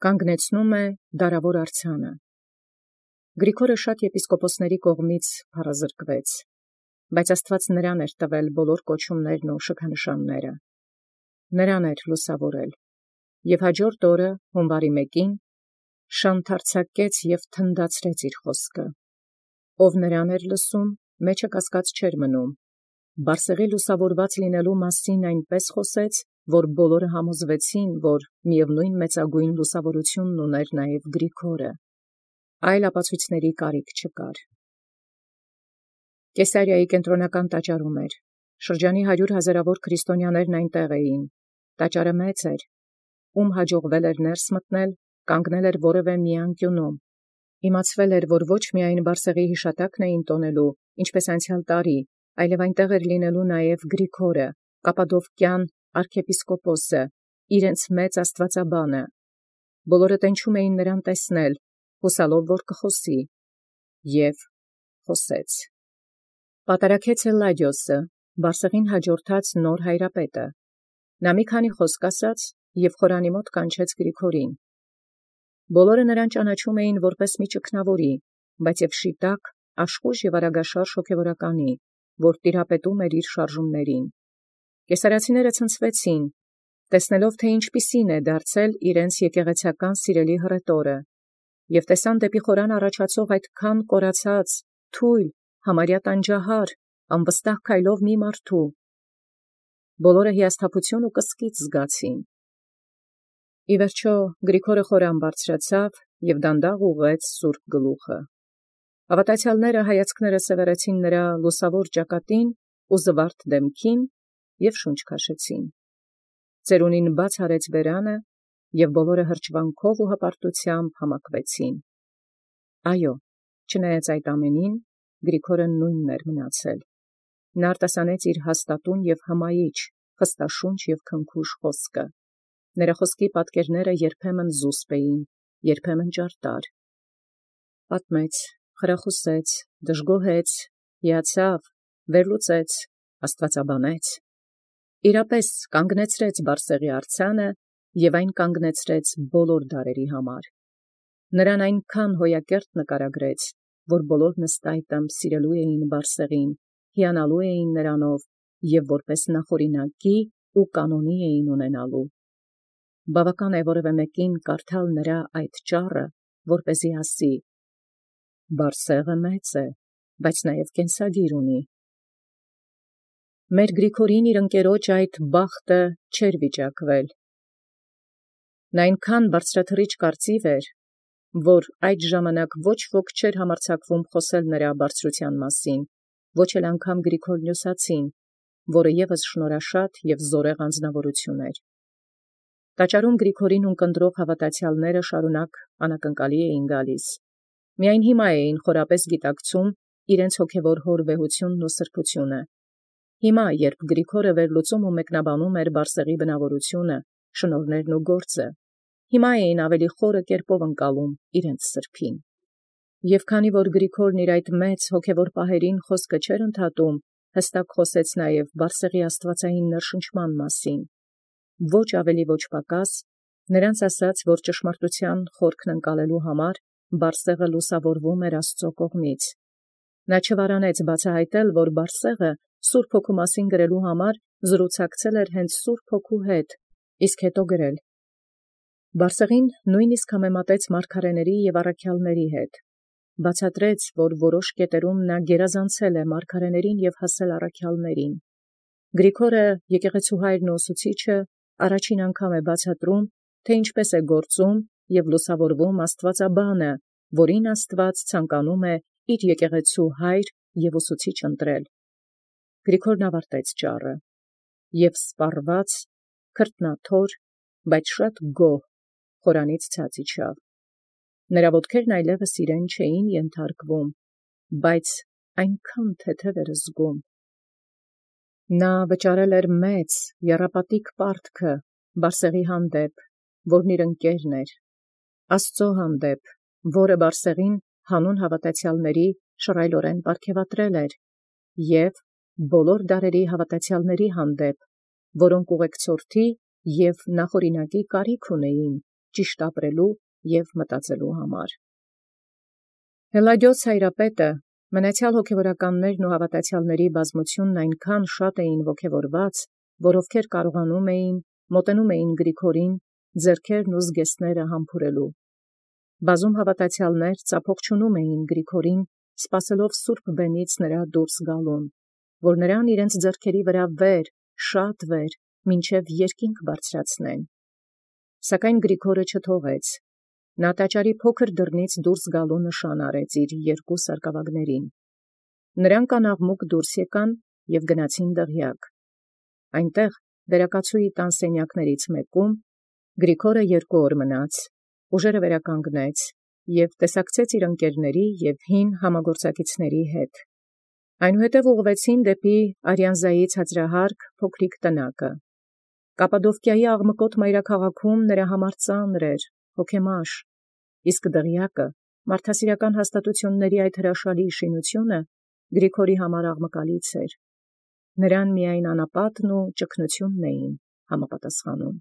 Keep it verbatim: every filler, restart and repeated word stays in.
Կանգնեցնում է դարաւոր արձանը։ Գրիգորը շատ եպիսկոպոսաց կողմից փառազրկվեց, բայց Աստուած նրան էր տվել բոլոր կոչումներն ու շքանշանները. նրան էր լուսաւորել, և հաջորդ օրը հունվարի մեկին շանթարցակեց և թնդացրեց իր խոսքը, ով նրան էր լսում, մեջը կասկած չէր մնում, Բարսեղի լուսաւորված լինելոյ մասին այնպէս խոսեց, որ բոլորը համոզվեցին, որ միևնոյն մեծագոյն լուսաւորութիւնն ուներ նաև Գրիգորը, այլ ապացոյցների կարիք չկար։ Կեսարիայի կենտրոնական տաճարում էր, շրջանի հարյուր հազարավոր քրիստոնյաներն այնտեղ էին, տաճարը մեծ էր, ում հաջողվել էր ներս մտնել, կանգնել էր որևէ մի անկյունում, իմացվել էր, որ ոչ միայն Բարսեղի յիշատակն էին տոնելու, ինչպես անցեալ տարի, այլև այնտեղ էր լինելու նաև Գրիգորը, Կապադովկյան arczepiskopos, իրենց մեծ աստուածաբանը, բոլորը տենչում էին նրան տեսնել, հուսալով որ կխոսի, և խոսեց։ Պատարագեց Ելլադիոսը, Բարսեղին հաջորդած նոր հայրապետը, նա մի քանի խոսք ասաց և խորանի մոտ կանչեց Գրիգորին։ Բոլորը նրան ճանաչում էին որպես մի ճգնաւորի, բայց և շիտակ, աշխույժ և արագաշարժ հոգևորականի, որ տիրապետում էր իր շարժումներին։ Կեսարացիները ցնցվեցին, տեսնելով թէ ինչպիսին է դարձել իրենց եկեղեցական սիրելի հռետորը, և տեսան դեպի խորան առաջացող այդքան կորացած, թույլ, համարյա տանջահար, անվստահ քայլով մի մարդու, բոլորը հիասթափութիւն ու կսկիծ զգացին։ Ի վերջոյ Գրիգորը խորան բարձրացավ և դանդաղ ուղղեց սուրբ գլուխը։ Հաւատացեալները հայացքները սևեռեցին նրա լուսաւոր ճակատին ու զվարթ դեմքին և շունչ քաշեցին։ Ծերունին բաց արեց բերանը, և բոլորը հրճվանքով ու հպարտութեամբ համակվեցին։ Այո, չնայած այդ ամենին, Գրիգորը նույնն էր մնացել։ Նա արտասանեց իր հաստատուն և հմայիչ, խստաշունչ և քնքուշ խոսքը։ Նրա խոսքի պատկերները երբեմն զուսպ էին, երբեմն ճարտար։ Պատմեց, խրախուսեց, դժգոհեց, հիացավ, վերլուծեց, աստուածաբանեց։ Իրապես կանգնեցրեց Բարսեղի արձանը և այն կանգնեցրեց բոլոր դարերի համար։ Նրան այնքան հոյակերտ նկարագրեց, որ բոլոր նստայտը սիրելու էին Բարսեղին, հիանալու էին նրանով և որպես նախօրինակի ու կանոնի էին ունենալու։ Բավական է որևէ մեկին կարդալ նրա այդ ճառը, որպեսզի ասի. Բարսեղը մեծ է, բայց նաև կենսագիր ունի։ Մեր Գրիգորին իր ընկերոջ այդ բախտը չէր վիճակվել։ Նա այնքան բարձրաթռիչ կարծիվ էր, որ այդ ժամանակ ոչ ոք չէր համարձակվում խոսել նրա բարձրութեան մասին, ոչ էլ անգամ Գրիգոր Նյոսացին, որը ևս շնորհաշատ և զորեղ անձնաւորութիւն էր։ Տաճարում Գրիգորին ունկնդրող հաւատացեալները շարունակ անակնկալի էին գալիս։ Միայն հիմա էին խորապես գիտակցում իրենց հոգևոր հոր վեհութիւնն ու սրբութիւնը։ Հիմա, երբ Գրիգորը վերլուծում ու մեկնաբանում էր Բարսեղի բնաւորութիւնը, շնորհներն ու գործը, հիմա էին ավելի խորը կերպով ընկալում իրենց սրբին։ Եւ քանի որ Գրիգորն իր այդ մեծ հոգևոր պահերին խոսքը չէր ընդհատում, հստակ խոսեց նաև Բարսեղի աստուածային ներշնչման մասին։ Ոչ ավելի ոչ պակաս, նրանց ասաց, որ ճշմարտութեան խորքն ընկալելու համար Բարսեղը լուսաւորվում էր Աստուծոյ կողմից։ Նա չվարանեց բացահայտել, որ Բարսեղը Սուրբ Հոգու մասին գրելու համար զրուցակցել էր հենց Սուրբ Հոգու հետ, իսկ հետո գրել։ Բարսեղին նույնիսկ համեմատեց մարգարեների և առաքյալների հետ։ Բացատրեց, որ որոշ կետերում նա գերազանցել է մարգարեներին և հասել առաքյալներին։ Գրիգորը, եկեղեցուհայրն ու ուսուցիչը, առաջին անգամ է բացատրում, թե ինչպես է գործում և լուսավորվում աստուածաբանը, որին Աստուած ցանկանում է իր եկեղեցու հայր և ուսուցիչ ընտրել։ Գրիգորն ավարտեց ճառը և սպառված, քրտնաթոր, բայց շատ գոհ խորանից ցած իջավ։ Նրա ոտքերն այլևս իրեն չէին ենթարկվում, բայց այնքան թեթև էր զգում։ Նա վճարել էր մեծ եռապատիկ պարտքը Բարսեղի հանդեպ, որն իր ընկերն էր, Աստուծոյ հանդեպ, որը Բարսեղին հանուն հաւատացեալների շռայլօրեն պարգևատրել էր, և բոլոր դարերի հաւատացեալների հանդեպ, որոնք ուղեկցորդի և նախօրինակի կարիք ունեին ճիշտ ապրելու և մտածելու համար։ Հելլադիոս հայրապետը մնացյալ հոգևորականներն ու հավատացյալների բազմությունն այնքան շատ էին ոգևորված, որ ովքեր կարողանում էին, մոտենում էին Գրիգորին, ձեռքերն ու զգեստները համբուրելու։ Բազում հավատացյալներ ծափողջունում էին Գրիգորին, սպասելով սուրբ բեմից նրա դուրս գալուն, որ նրան իրենց ձեռքերի վրա վեր, շատ վեր, մինչև երկինք բարձրացնեն։ Սակայն Գրիգորը չթողեց։ Նա տաճարի փոքր դռնից դուրս գալու նշան արեց իր երկու սարկավագներին։ Նրանք անաղմուկ դուրս եկան և գնացին դղյակ։ Այնտեղ վերակացուի տան սենյակներից մեկում Գրիգորը երկու օր մնաց, ուժերը վերականգնեց և տեսակցեց իր ընկերների և հին համագործակիցների հետ։ Այնուհետև ուղղվեցին դեպի Արիանզայի ցածրահարկ փոքրիկ տնակը։ Կապադովկիայի աղմկոտ մայրաքաղաքում նրա համար ծանր էր, հոգեմաշ, իսկ դղյակը, մարդասիրական հաստատությունների այդ հրաշալի շինությունը Գրիգորի համար աղմկալից էր։ Նրան միայն անապատն ու ճգնությունն էին համապատասխանում։